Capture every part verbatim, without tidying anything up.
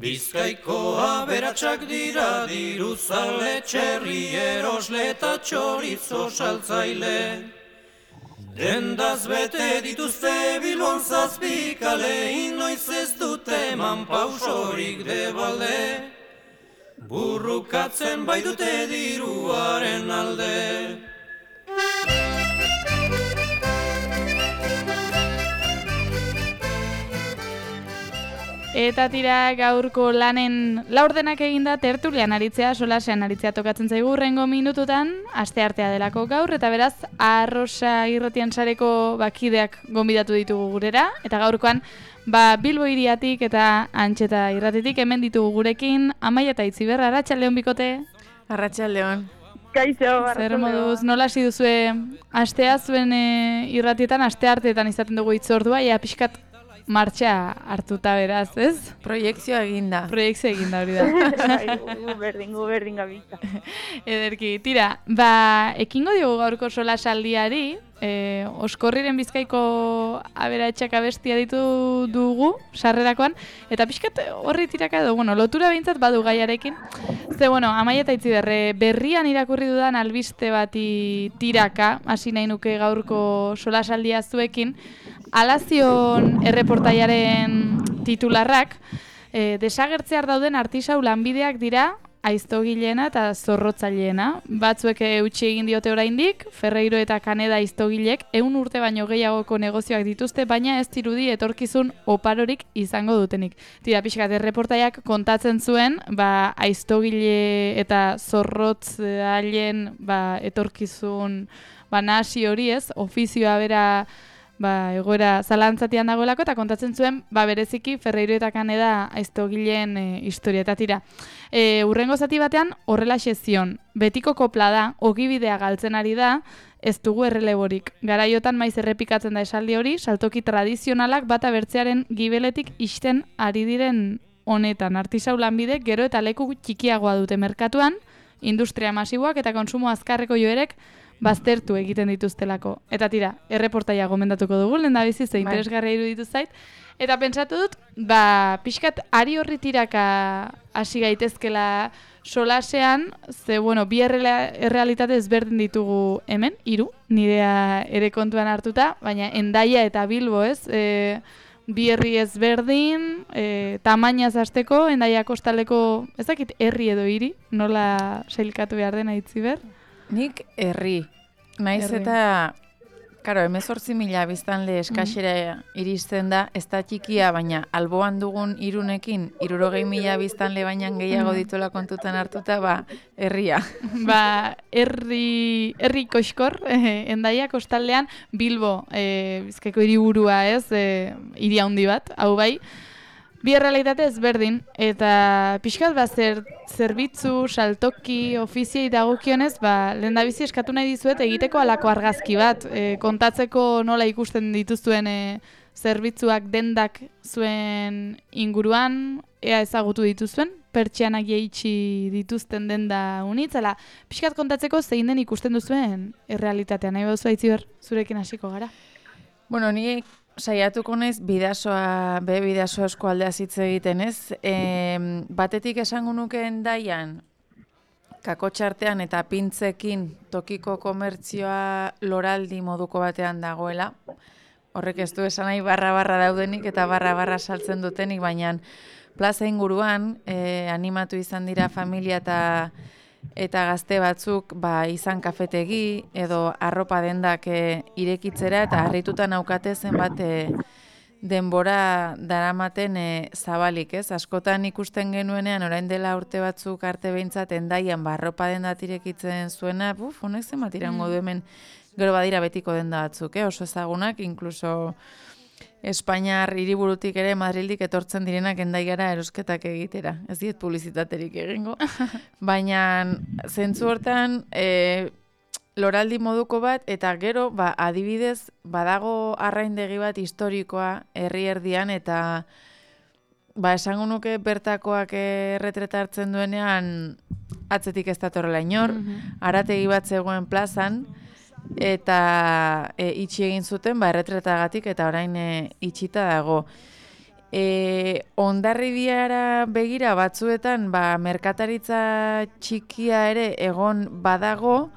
Bizkaiko aberatsak dira diruzale, txerri erosle eta txorizo saltzaile. Dendaz bete dituzte Bilbon zazpikale, inoiz ez dute eman pausorik debalde. Burrukatzen baitute diruaren alde. Eta tira gaurko lanen laurdenak eginda tertulian aritzea, solasean aritzea tokatzen zaigu hurrengo minututan, asteartea delako gaur, eta beraz, Arrosa Irratian sareko bakideak gonbidatu ditugu gurera, eta gaurkoan, ba, Bilbo hiriatik eta Antxeta Irratitik hemen ditugu gurekin, Amaia eta Itziber, Arratsaldeon bikote. Arratsaldeon. Kaixo, Zer moduz, nola hasi duzue astea zuen e, irratietan, astearteetan izaten dugu hitzordua, ja pixkat martxa hartuta beraz, ez? Proiekzioa eginda. Proiekzioa eginda hori da. Gu berdin, gu berdin gabiltza. Ederki, tira, ba, ekingo diogu gaurko solasaldiari, e, Oskorriren Bizkaiko aberatsak abestia ditu dugu, sarrerakoan, eta pixkat horri tiraka edo, bueno, lotura behintzat badu gaiarekin. Ze, bueno, Amaia eta Itziber, berrian irakurri dudan albiste bati tiraka, hasi nahi nuke gaurko solasaldia zuekin, Alazion erreportaiaren titularrak, e, desagertzear dauden artisau lanbideak dira aiztogileena eta zorrotzaileena. Batzuek eutsi egin diote oraindik, Ferreiro eta Kaneda aiztogilek ehun urte baino gehiagoko negozioak dituzte, baina ez dirudi etorkizun oparorik izango dutenik. Tira, pixkat, erreportaiak kontatzen zuen, ba, aiztogile eta zorrotzaileen ba, etorkizun ba, nahasi hori ez, ofizioa bera ba, egoera zalantzatian dagoelako, eta kontatzen zuen, ba, bereziki Ferreiro eta Kaneda aiztogileen e, historia. Eta tira, e, urrengo zati batean horrelaxe zion, betiko kopla da, ogibidea galtzen ari da, ez dugu erreleborik. Garaiotan maiz errepikatzen da esaldi hori, saltoki tradizionalak bata bertzearen gibeletik ixten ari diren honetan. Artisau lanbide gero eta leku txikiagoa dute merkatuan, industria masiboak eta konsumo azkarreko joerek baztertu egiten dituztelako. Eta tira, erreportaia gomendatuko dugu, lehendabizi ze interesgarria iruditu zait. Eta pentsatu dut, ba, pixkat ari horri tiraka hasi gaitezkela solasean, ze, bueno, bi errealitate ezberdin ditugu hemen, hiru, nirea ere kontuan hartuta, baina Hendaia eta Bilbo, ez? E, bi herri ezberdin, e, tamainaz hasteko, Hendaia kostaleko, ez dakit herri edo hiri, nola sailkatu behar dena Itziber? Nik herri. Naiz Herri. eta, karo, hemezortzi mila biztanle eskaxera iristen da, ez da txikia, baina alboan dugun irunekin, hirurogei mila biztanle baina gehiago dituela kontutan hartuta, ba, herria. Ba, herri, herri koxkor, eh, Hendaia kostaldean, Bilbo, eh, Bizkaiko hiriburua ez, eh, hiri handi bat, hau bai, bi errealitate ezberdin, eta pixkat ba, zer, zerbitzu, saltoki, ofiziei dagokionez, ba, lehendabizi eskatu nahi dizuet egiteko halako argazki bat, e, kontatzeko nola ikusten dituzuen e, zerbitzuak dendak zuen inguruan, ea ezagutu dituzuen, pertsianak jeitsi dituzten denda unitzela, pixkat kontatzeko zein den ikusten duzuen errealitatea, nahi baduzu Itziber, zurekin hasiko gara. Bueno, ni saiatuko naiz bidasoa, be bidasoa eskualdea hitz egiten, ez? E, batetik esango nuke Hendaian, kakotxartean eta pintzekin tokiko komertzioa loraldi moduko batean dagoela. Horrek ez du esan nahi barra-barra daudenik eta barra-barra saltzen dutenik, baina plaza inguruan e, animatu izan dira familia eta eta gazte batzuk ba, izan kafetegi edo arropa dendak e, irekitzera eta harrituta naukate zenbat e, denbora daramaten e, zabalik, ez? Askotan ikusten genuenean orain dela urte batzuk arte behintzat Hendaian ba, arropa dendat irekitzen zuena, buf, honek zenbat irango du hemen gero badira betiko denda batzuk, eh? Oso ezagunak, inkluso Espainiar hiriburutik ere Madrildik etortzen direnak Hendaiara erosketak egitera. Ez diet publizitaterik egingo. Baina zentzu hortan e, loraldi moduko bat eta gero ba, adibidez badago arraindegi bat historikoa herri erdian eta ba, esango nuke bertakoak erretreta hartzen duenean atzetik ez datorrela inor, arategi bat zegoen plazan, eta e, itxi egin zuten ba erretretagatik eta orain e, itxita dago. E, Hondarribiara begira batzuetan ba, merkataritza txikia ere egon badago,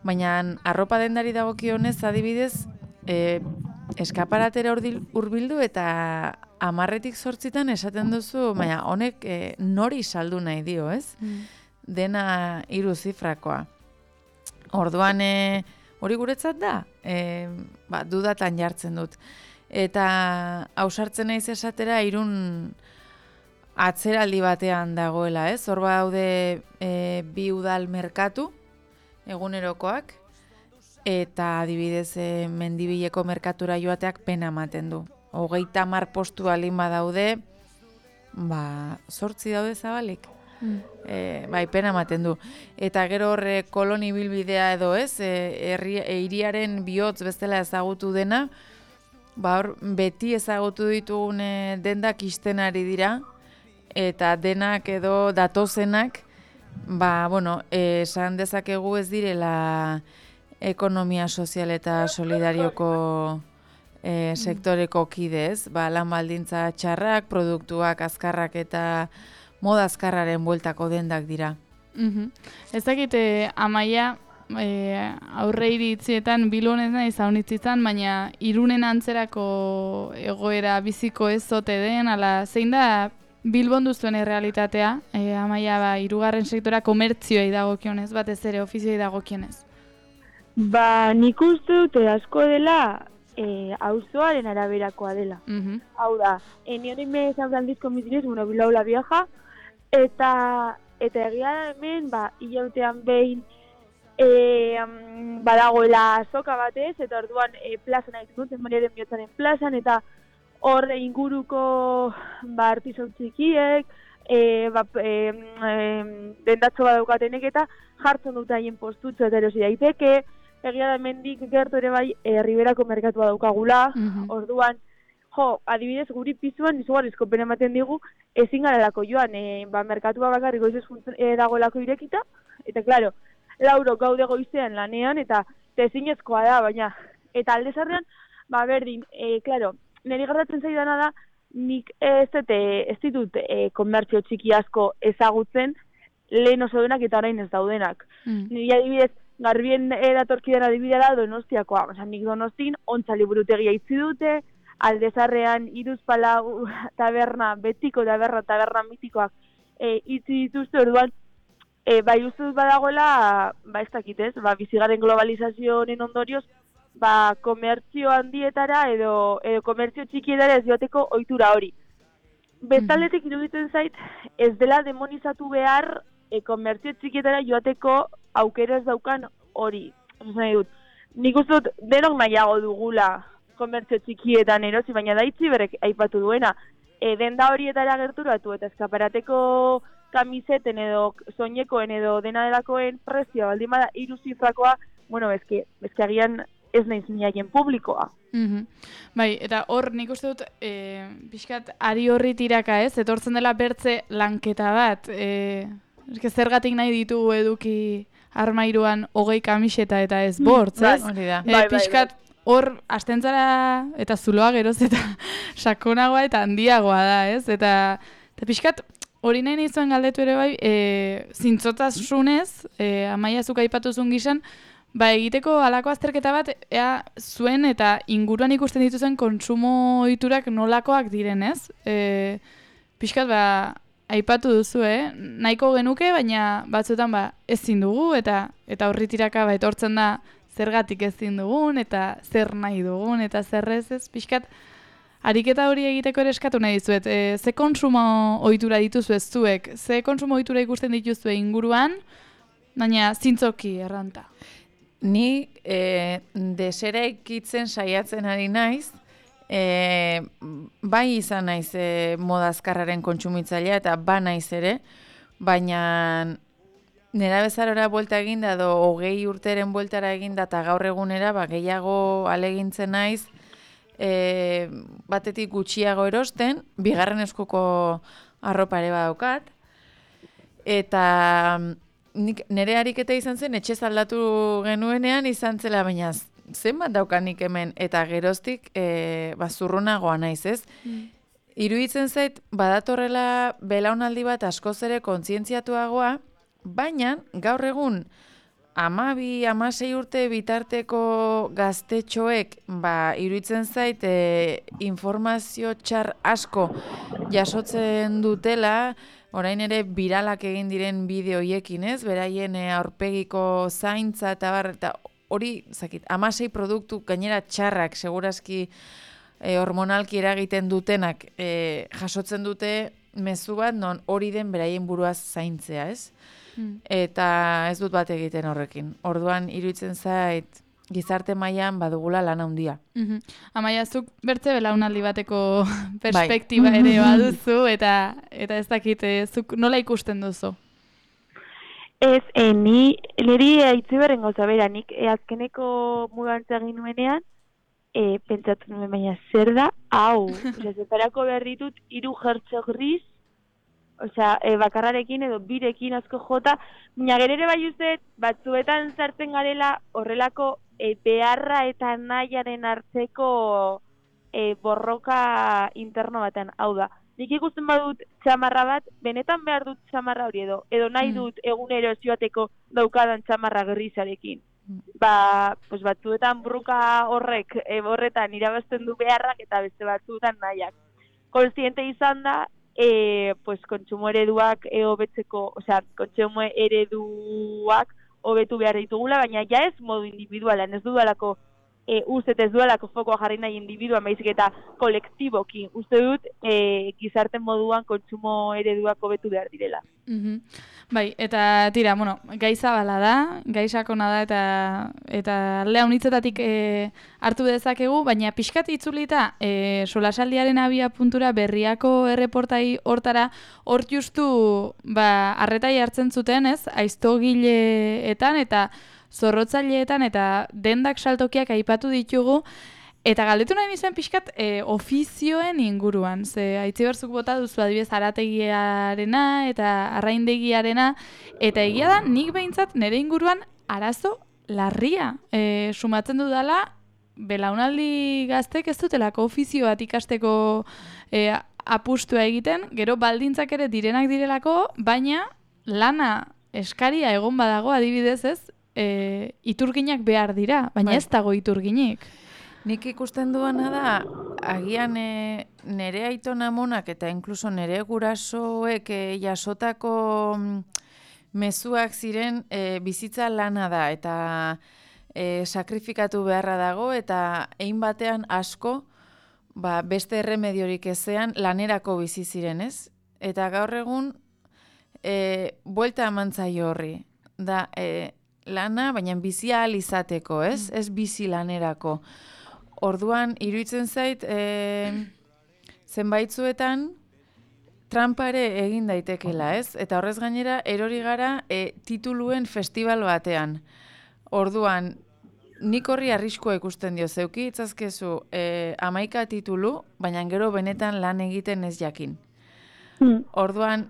baina arropa dendari dagokionez adibidez e, eskaparatera hurbildu eta hamarretik zortzitan esaten duzu, baina honek e, nori saldu nahi dio, ez? Mm. Dena hiru zifrakoa. Orduan e, hori guretzat da, e, ba, dudatan jartzen dut. Eta ausartzen naiz esatera Irun atzeraldi batean dagoela, ez? Hor daude e, bi udal merkatu egunerokoak eta adibidez e, Mendibileko merkatura joateak pena ematen du. Hogeita hamar postu alin badaude, ba, zortzi daude zabalik. Mm. E, bai, pena ematen du. Eta gero horre koloni bilbidea edo ez, e, herri, e, hiriaren bihotz bezala ezagutu dena, ba hor, beti ezagutu ditugun e, dendak isten ari dira, eta denak edo datozenak, ba, bueno, e, esan dezakegu ez direla ekonomia sozial eta solidarioko e, sektoreko kidez, ba, lan baldintza txarrak, produktuak azkarrak eta moda azkarraren bueltako dendak dira. Mm-hmm. Ez dakite, Amaia, E, aurre iritzietan Bilbon ez nahi zaunitzitzen, baina Irunen antzerako egoera biziko ez zote den, ala zein da Bilbon duzuen errealitatea, e, Amaia, ba, hirugarren sektora komertzioei dagokionez, batez ere ofizioei dagokionez? Ba, nik uste dute asko dela e, auzoaren araberakoa dela. Mm-hmm. Hau da, eni hori me zauraldiz komitinez, bueno, Bilbao la Vieja, eta, eta egia hemen, ba, hilautean behin, E, um, badagoela azoka batez, eta orduan e, plazan haitzen dut, Mariaren Bihotzaren plazan, eta hor inguruko ba, artisau txikiek, e, ba, e, e, dendatzo badaukatenek eta jartzen dut haien postutzu eta erosi daiteke, egia da mendik gertu ere bai e, Riberako merkatua daukagula, mm-hmm. Orduan, jo, adibidez guri pizuan izugarrizko pena ematen digu, ezin garelako joan, e, ba, merkatua bakarrik goizez e, dagoelako irekita, eta klaro, lauro gaude goizean lanean, eta ezinezkoa da, baina, eta alde zarrean, ba, berdin, e, klaro, niri gertatzen zaidana da, nik ez, dute, ez ditut e, komertzio txiki asko ezagutzen, lehen oso denak eta orain ez daudenak. Mm. Niri adibidez, garbien eratorkidan adibidea da Donostiakoa, oza, nik Donostin, ontza liburutegia itzi dute, alde zarrean, Iruzpalau taberna, betiko taberna, taberna mitikoak e, itzi dituzte, orduan, E, bai uste dut badagoela, ba ez dakitez, ba, bizigaren globalizazioaren ondorioz, ba, komertzio handietara edo, edo komertzio txikietara ez joateko ohitura hori. Bestaldetik iruditzen zait, ez dela demonizatu behar e, komertzio txikietara joateko aukera ez daukan hori. Oso nahi dut, nik uste dut denok nahiago dugula komertzio txikietan erosi, baina daitzi berek aipatu duena. E, denda horietara gerturatu eta eskaparateko kamiseten edo soinekoen edo dena delakoen prezioa baldin bada hiru zifrakoa, bueno, eske, eske agian ez naiz niaien publikoa. Mm-hmm. Bai, eta hor nik uste dut, e, pixkat ari horri tiraka ez, etortzen dela bertze lanketa bat, e, eske zergatik nahi ditugu eduki armairuan hogei kamiseta eta ez bortz, ez? Hori da. E, pixkat hor astentzara eta zuloa geroz eta sakonagoa eta handiagoa da, ez? Eta, eta pixkat, hori nahi nizuen galdetu ere bai, e, zintzotasunez, e, Amaia zuk aipatuzun gizan, ba egiteko halako azterketa bat, ea zuen eta inguruan ikusten dituzen kontsumo ohiturak nolakoak direnez. E, pixkat, ba, aipatu duzu, eh? Nahiko genuke, baina batzuetan ba, ezin dugu, eta eta horri tiraka ba, etortzen da zergatik ezin dugun, eta zer nahi dugun, eta zer ez ez, pixkat, ariketa hori egiteko ere eskatu nahi dizuet. E, ze kontsumo ohitura dituzu ez zuek? Ze kontsumo ohitura ikusten dituzue inguruan, baina zintzoki erranta? Ni e, desera ikitzen saiatzen ari naiz, e, bai izan naiz e, moda azkarraren kontsumitzailea eta ba naiz ere, baina nera bezarora buelta eginda edo hogei urteren bueltara eginda eta gaur egunera ba, gehiago alegintzen naiz, E, batetik gutxiago erosten, bigarren eskuko arropa ere badaukat, eta nik, nire ariketa izan zen, etxez aldatu genuenean izan zela, baina zenbat daukanik hemen, eta geroztik e, bazurrunagoa naiz ez. Mm. iruditzen zait, badatorrela belaunaldi bat askoz ere kontzientziatuagoa, baina gaur egun hamabi, hamasei urte bitarteko gaztetxoek, ba, iruditzen zait, e, informazio txar asko jasotzen dutela, orain ere biralak egin diren bideoiekin, ez? Beraien e, aurpegiko zaintza eta bar, eta hori, zakit, hamasei produktu gainera txarrak, segurazki e, hormonalki eragiten dutenak e, jasotzen dute mezu bat, non hori den beraien buruaz zaintzea, ez? Hmm. Eta ez dut bat egiten horrekin. Orduan, iruditzen zait, gizarte mailan badugula lan handia. Mm-hmm. Amaia, zuk bertze belaunaldi bateko perspektiba bai. Ere baduzu, eta eta ez dakit, zuk nola ikusten duzu? Ez, eh, ni, niri haitzi berren gauza bera, nik eh, azkeneko mugantza egin nuenean, eh, pentsatu nuen baina zer da, hau, osea, zeparako behar ditut, hiru jertxo gris, osea, e, bakarrarekin edo birekin asko jota, baina gerere bai uste, batzuetan sartzen garela horrelako e, beharra eta nahiaren arteko e, borroka interno baten. Hau da, nik ikusten badut txamarra bat, benetan behar dut txamarra hori edo, edo nahi dut egunero zioateko daukadan txamarra grisarekin. Ba, pues batzuetan burruka horrek, e, horretan irabazten du beharrak eta beste batzuetan nahiak. Kontziente izan da, E, pues, kontsumo ereduak e, hobetzeko, osea, kontsumo ereduak hobetu behar ditugula, baina ja ez modu individualan, ez dudalako, e, uste ez dudalako fokoa jarri nahi individuan, baizik eta kolektiboki, uste dut e, gizarte moduan kontsumo ereduak hobetu behar direla. Mm-hmm. Bai, eta tira, bueno, gai zabala da, gai sakona da, eta eta aldea unitzetatik e, hartu dezakegu, baina pixkat itzulita e, solasaldiaren abia puntura berriako erreportai hortara, hor justu ba, arretai hartzen zuten, ez, aiztogileetan eta zorrotzaileetan eta dendak saltokiak aipatu ditugu, eta galdetu nahi nizuen pixkat e, ofizioen inguruan. Ze Aitziber zuk bota duzu adibidez arategiarena eta arraindegiarena, eta egia da nik behintzat nire inguruan arazo larria. E, sumatzen dudala, belaunaldi gaztek ez dutelako ofizio bat ikasteko e, apustua egiten, gero baldintzak ere direnak direlako, baina lana eskaria egon badago adibidez ez, e, iturginak behar dira, baina bai. Ez dago iturginik. Nik ikusten duana da, agian e, nere aiton amonak eta inkluso nere gurasoek e, jasotako mezuak ziren e, bizitza lana da eta e, sakrifikatu beharra dago eta egin batean asko ba, beste erremediorik ezean lanerako bizi ziren, ez? Eta gaur egun e, buelta amantzaio horri. Da, e, lana, baina bizia ahal izateko, ez? Mm. Ez bizi lanerako. Orduan, iruditzen zait, e, zenbaitzuetan trampare egin daitekela, ez? Eta horrez gainera, erori gara e, tituluen festival batean. Orduan, nik horri arriskua ikusten dio, zeuki itzazkezu e, hamaika titulu, baina gero benetan lan egiten ez jakin. Mm. Orduan,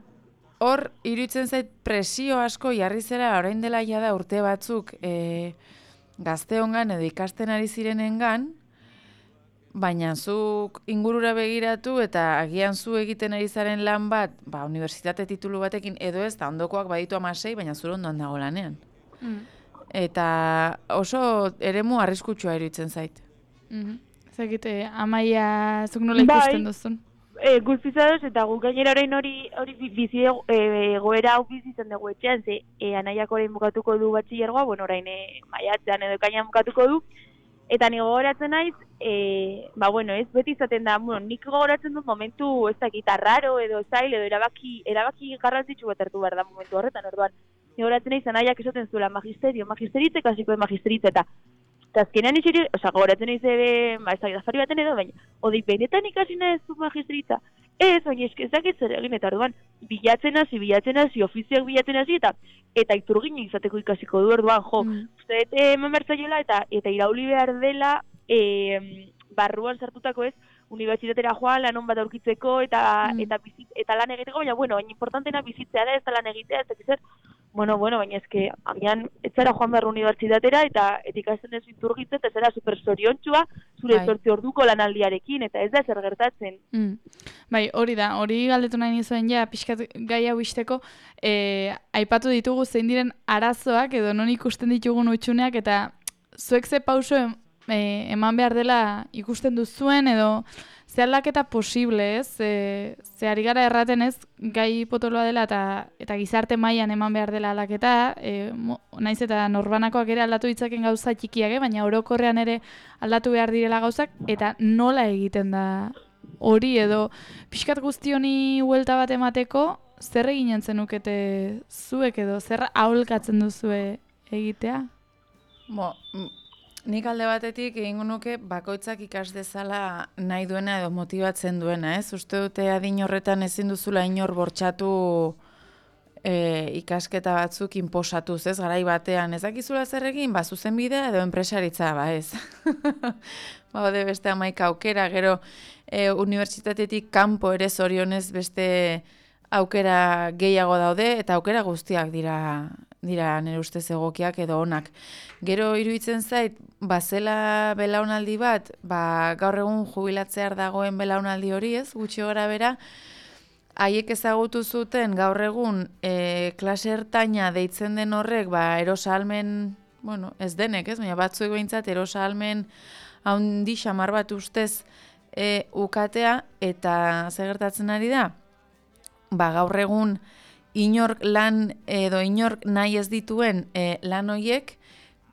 hor, iruditzen zait presio asko jarri zera orain dela jada urte batzuk e, gazteongan edo ikasten ari zirenengan, baina zuk ingurura begiratu eta agian zu egiten ari zaren lan bat, ba, unibertsitate titulu batekin edo ez, da ondokoak baditu amasei, baina zure ondoan dago lanean. Mm. Eta oso eremu arriskutsua iruditzen zait. Mm-hmm. Zagite, Amaia, zuk nola ikusten duzun? E, guztizadoz, eta guk gainera orain hori hori bizi egoera hau bizi zen dugu etxean, ze e, anaiak orain bukatuko du batxillergoa, bueno, orain e, maiatzean edo ekainan bukatuko du, eta ni gogoratzen naiz, e, ba, bueno, ez beti izaten da, bueno, nik gogoratzen dut momentu, ez dakit, arraro edo zail edo erabaki, erabaki garrantzitsu bat hartu behar da momentu horretan, orduan, ni gogoratzen naiz, anaiak esaten zuela magisterio, magisteritze, kasiko magisteritze, eta eta azkenean isiri, oza, gogoratzen naiz ere, ba, ez dakit, afari baten edo, baina, odik, benetan ikasi nahi ez du magisteritza, ez, baina eskezak ez zer egin, eta orduan, bilatzen hasi, bilatzen hasi, ofizioak bilatzen hasi, eta eta iturgin izateko ikasiko du, orduan, jo, mm. uste, eman bertzaiola, eta eta irauli behar dela, e, barruan sartutako ez, unibertsitatera joan, lanon bat aurkitzeko, eta, mm. eta, bizit, eta lan egiteko, baina, bueno, baina importantena bizitzea da, ez da lan egitea, ez da zer, bueno, bueno, baina eske, amian, ez zara joan behar unibertsitatera, eta etikasten ez iturgitze, eta zara super zoriontxua, zure Bai. zortzi orduko lanaldiarekin, eta ez da zer gertatzen. Mm. Bai, hori da, hori galdetu nahi nizuen ja, pixkat gai hau isteko, e, aipatu ditugu zein diren arazoak edo non ikusten ditugun utxuneak, eta zuek ze pauso em, e, eman behar dela ikusten duzuen, edo ze aldaketa posible, ez? E, ze ari gara erraten ez, gai potoloa dela eta eta gizarte mailan eman behar dela aldaketa, e, mo, naiz eta norbanakoak ere aldatu ditzaken gauza txikiak, eh? Baina orokorrean ere aldatu behar direla gauzak, eta nola egiten da hori edo pixkat guzti honi huelta bat emateko, zer eginen zenukete zuek edo zer aholkatzen duzue egitea? Bo, nik alde batetik egingo nuke bakoitzak ikas dezala nahi duena edo motibatzen duena, ez? Uste dute adin horretan ezin duzula inor bortxatu e, ikasketa batzuk inposatuz, ez? Garai batean ez dakizula zer egin, ba, zuzenbidea edo enpresaritza, ba, ez? Ba, bade beste hamaika aukera, gero e, unibertsitatetik kanpo ere zorionez beste aukera gehiago daude, eta aukera guztiak dira dira nire ustez egokiak edo onak. Gero iruditzen zait, bazela belaunaldi bat, ba, gaur egun jubilatzear dagoen belaunaldi hori ez, gutxi gora bera, haiek ezagutu zuten gaur egun e, klase ertaina deitzen den horrek, ba, erosalmen, bueno, ez denek ez, baina batzuek behintzat erosalmen haundi xamar bat ustez e, ukatea, eta zer gertatzen ari da? Ba, gaur egun inork lan edo inork nahi ez dituen e, lan hoiek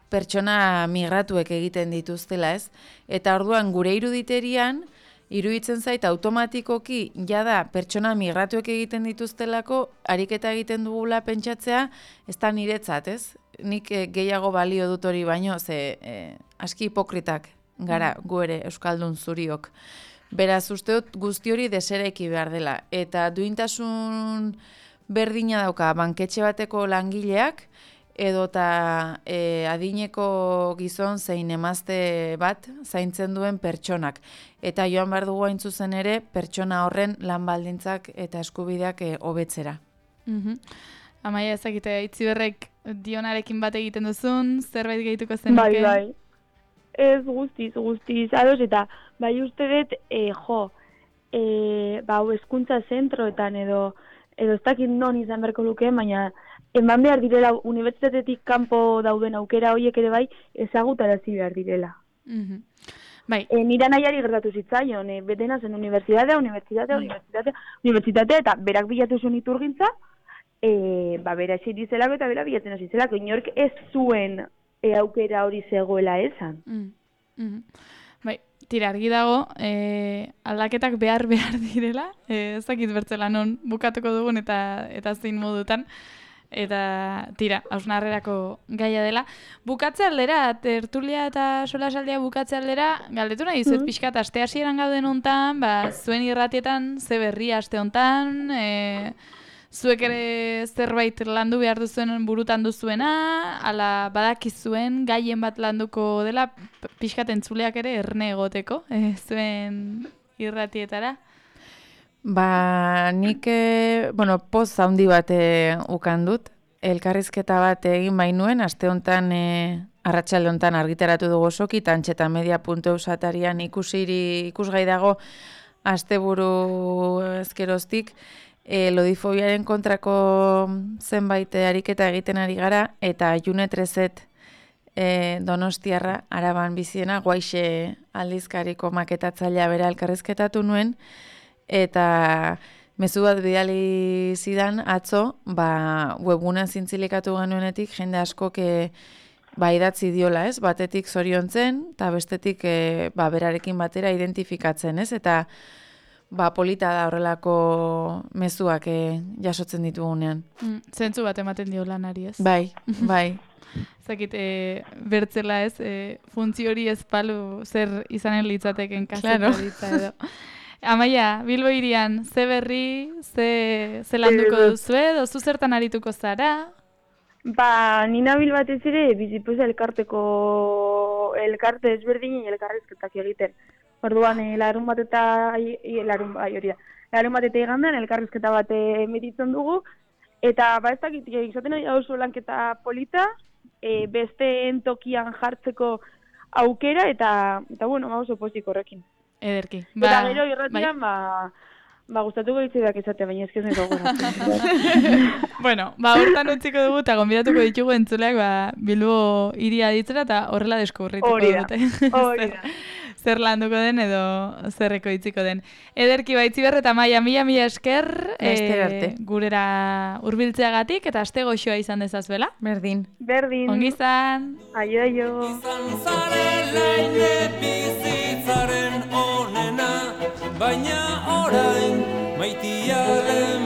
pertsona migratuek egiten dituztela, ez? Eta orduan gure iruditerian, iruditzen zait automatikoki jada pertsona migratuek egiten dituztelako, ariketa egiten dugula pentsatzea, ez da niretzat, ez? Nik e, gehiago balio dut hori baino, ze e, aski hipokritak gara gu ere euskaldun zuriok. Beraz, uste dut guzti hori desereki behar dela. Eta duintasun berdina dauka banketxe bateko langileak, edota e, adineko gizon zein emazte bat zaintzen duen pertsonak. Eta joan behar dugu hain zuzen ere, pertsona horren lan baldintzak eta eskubideak e, hobetzera. Mm-hmm. Amaia ezakite, Itziberrek Dionarekin bat egiten duzun, zerbait gehituko zenuke? Bai, bai. Ez guztiz, guztiz, ados, eta bai uste dut, e, jo, e, ba, hezkuntza zentroetan edo, edo ez dakit non izan beharko luke, baina eman behar direla, unibertsitatetik kanpo dauden aukera horiek ere bai, ezagutarazi behar direla. Mm-hmm. Bai. E, nira nahiari gertatu zitzaion, e, betena zen unibertsitatea, unibertsitatea, unibertsitatea, unibertsitatea, eta berak bilatu zuen iturgintza, e, ba, bera esi dizelako eta bera bilatzen hasi zelako, inork ez zuen e, aukera hori zegoela esan. Mm. Mm-hmm. Bai, tira argi dago, e, aldaketak behar behar direla, e, ez dakit bertzela non bukatuko dugun eta eta zein modutan, eta tira, hausnarrerako gaia dela. Bukatze aldera, tertulia eta solasaldia bukatze aldera, galdetu nahi dizuet mm-hmm. pixkat, aste hasieran gauden hontan, ba, zuen irratietan, ze berria aste hontan, e, zuek ere zerbait landu behar duzuen burutan duzuena, ala badakizuen gaien bat landuko dela, pixkat entzuleak ere erne egoteko, e, zuen irratietara? Ba, nik, e, bueno, poz handi bat e, ukan dut, elkarrizketa bat egin bainuen, aste hontan, e, arratsalde hontan argitaratu dugu osoki, tantxeta media puntu eus atarian ikusiri, ikusgai dago, asteburu ezkeroztik, E, lodifobiaren kontrako zenbait ariketa egiten ari gara, eta June Trezet e, Donostiarra, Araban biziena, Guaixe aldizkariko maketatzailea bera elkarrizketatu nuen, eta mezu bat bidali zidan atzo, ba, webgunean zintzilikatu genuenetik, jende askok e, ba, idatzi diola, ez? Batetik zoriontzen, eta bestetik e, ba, berarekin batera identifikatzen, ez? Eta ba, polita da horrelako mezuak eh, jasotzen ditugunean. Mm, zentzu bat ematen dio lanari, ez? Bai, bai. Zakit, e, bertzela ez, e, funtzio hori ez palu zer izanen litzateken kasetaritza edo. Amaia, Bilbo hirian, ze berri, ze, ze landuko duzu edo, zu zertan arituko zara? Ba, nina bil batez ere, bizipoza elkarteko, elkarte ezberdinen elkarrizketak egiten. Orduan, e, larun bat eta, e, larun, bai, hori da, larun bat eta igandean elkarrizketa bat emititzen dugu, Eta, ba, ez dakit, izaten ari oso lanketa polita, e, besteen tokian jartzeko aukera, eta, eta bueno, ba, oso pozik horrekin. Ederki. Ba, eta gero irratian, bai? ba, ba, gustatuko ditzidak izate, baina ez nahi gogoratzen. Bueno, ba, hortan utziko dugu, eta gonbidatuko ditugu entzuleak, ba, Bilbo iria ditzera, eta horrela deskubrituko dute. Hori da. Zer landuko den edo zerreko itziko den. Ederki Baitziber eta Maia, mila mila esker e, gurera hurbiltzeagatik eta aste goxoa izan dezazbela. Berdin. Berdin. Ongi izan. Aio, aio. Izan zarela ine bizitzaren onena, baina orain maitiaren